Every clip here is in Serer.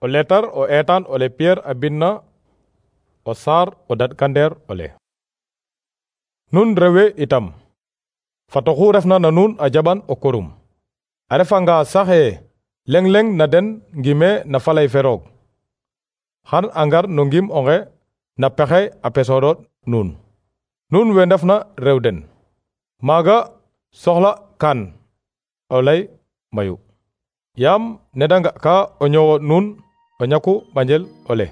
o letar o etan ole Pierre a binna o saar o dadkandeer ole. Nun rewe itam fatoxu refna na nun a jaɓan o korum. A refanga saxe leng na den ngime na falay fe roog. Xan a ngar no ngim onge na pexey a pesoɗoɗ nun. Nun we ndefna rew den. Maaga soxla kan o lay mayu. Yaam neda nga ka o ñowo nun o ñaku ɓanjel ole.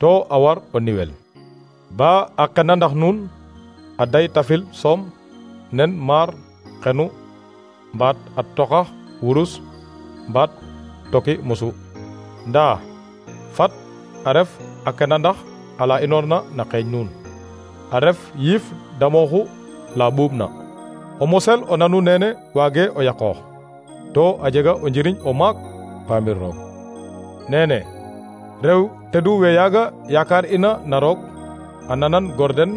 To a war o niwel. Ba a qena ndax nun a day tafil soom nen maar xenu mbaat a toxax wurus mbaat toki musu. Ndaa fat a ref a kena ndax ala inoorna na xeeñ nun. A ref yiif damooxu la ɓuuɓ na. O mosel o nanu nene waage o yaqoox. To a jega o njiriñ o maak paamir roog. Nene rew tedu we yaaga yaakaar ina na roog a nanan gor den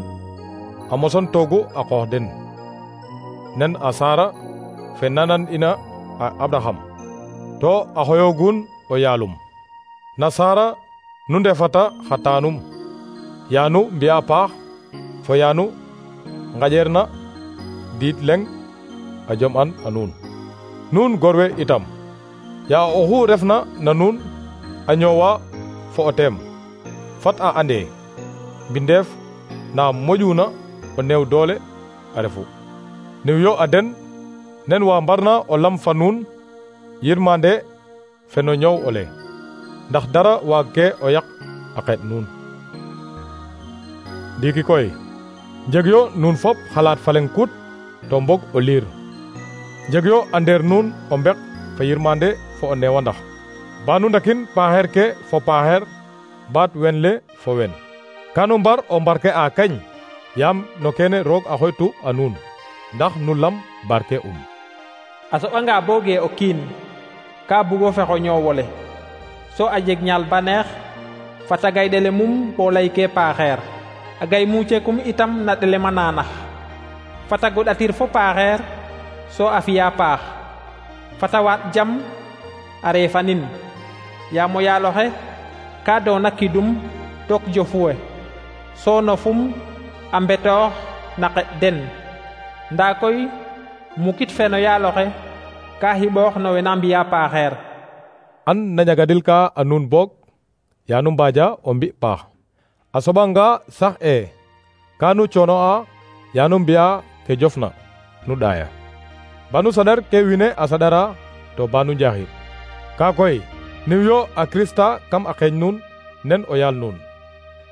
a moson toogu a qoox den. Nen a Sara fe nanan ina a Abraham. To a xoyoogun o yaalum. Na Sara nu ndefata xa taanum. Yaanu mbi'a paax fo yaanu ngaƴeerna diit leng a jom'an a nuun. Nuun gorwe itam ya oxu refna na nuun a ñoowa fo o teem. Fat a ande mbindeef na moƴuna o neew doole a refu. Niw yo a den nen wa mbarna o lam fa nuun yirmande fe no ñoow ole. Ndax dara waag ke o yaq a qeet nuun. Ndiiki koy njeg yo nuun fop xalaat fa leng kut to mbog o liir. Jeg yo a ndeer nuun o mbek fa yirmande fo o neewandax. Ba nu ndakin paaxeer ke fo paaxeer baat wen le fo wen. Kanu mbar o mbarke a keñ yaam no kene roog a xoytu a nuun ndax nu lam barke A soɓanga booge o kiin ka bugo fexo ñoowole so a jeg ñaal baneex fata gay ɗele mum bo lay ke paaxeer a gay muucekum itam na ɗele ma naanax fata goɗatir fo paaxeer so a fiya paax fata waaɗ jam a reefanin yaam o yaaloxe ka doona kidum took jofuwe so nofum a mbetoox na qeɗ den ndaa koy mukit fe no yaaloxe ka xiɓoox no we na mbi'a paaxeer. An na ñagadil ka a nuun boog yaanu mbaaja o mbi paax. A soɓanga sax ka nu coono'a yaanu mbi'a ke jofna nu ɗaaya. Banu saɗar ke wine a saɗara to banu njaxir. Ka koy niw yo a Krista kam a xeeñ nuun nen o yaal nuun.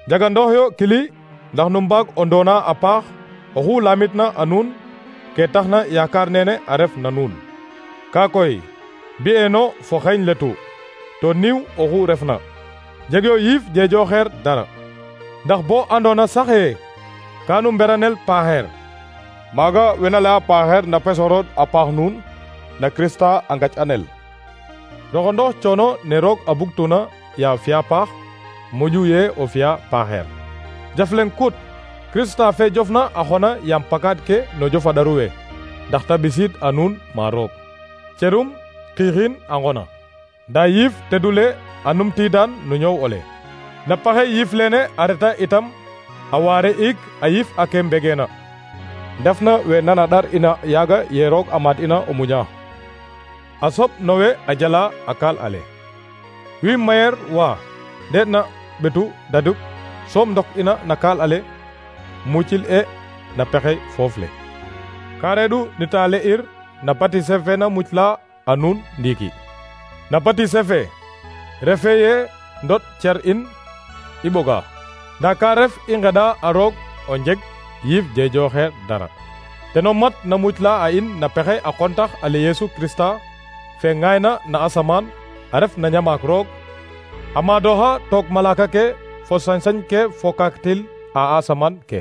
Jagandoox yo kili ndax nu mbaag o ndoona a paax oxu lamitna a nuun ke taxna yaakaar nene a ref na nuun. Ka koy mbi'eeno fo xeeñ letu to niw oxu refna. Jeg yo yiif jeejooxeer dara. Ndax bo andoona saxe ka nu mberanel paaxeer. Maaga wena laya paaxeer na pesorood a paax nuun na Krista a ngac'anel. Roxondox coono ne roog a bugtuna ya fi'a paax moƴu ye o fi'a paaxeer. Jaf leŋ kut Krista fe jofna a xona yaam pakaad ke no jofaɗaru we ndax ta ɓisiid a nuun ma roog. Cerum xiixin a ngona. Ndaa yiif tedule a numtiidaan no ñoow ole. Na paxe yiif lene a reta itam a waare ik a yiif a ke mbegeena. Ndefna we nana ɗar ina yaaga ye roog a maad ina o muña. A soɓ no we a jala a kaal ale. Wi mayer wa ndeetna ɓetu daduk soom ndok ina na kaal ale mucil na pexey foof le. Ka reeɗu nita le'ir na batise fe na mucla a nuun ndiiki. Na batise fe refe ye ndot cer in i ɓoga. Ndaa ka ref i ngeɗa a roog o njeg yiif jeejooxeer dara. Teno mat na mucla a in na pexey a qontax ale Yesu Krista fe ŋaayna na asamaan a ref na ñamaak roog a maadooxa took malaaka ke fo sañ-sañ ke fo kaktil a asamaan ke.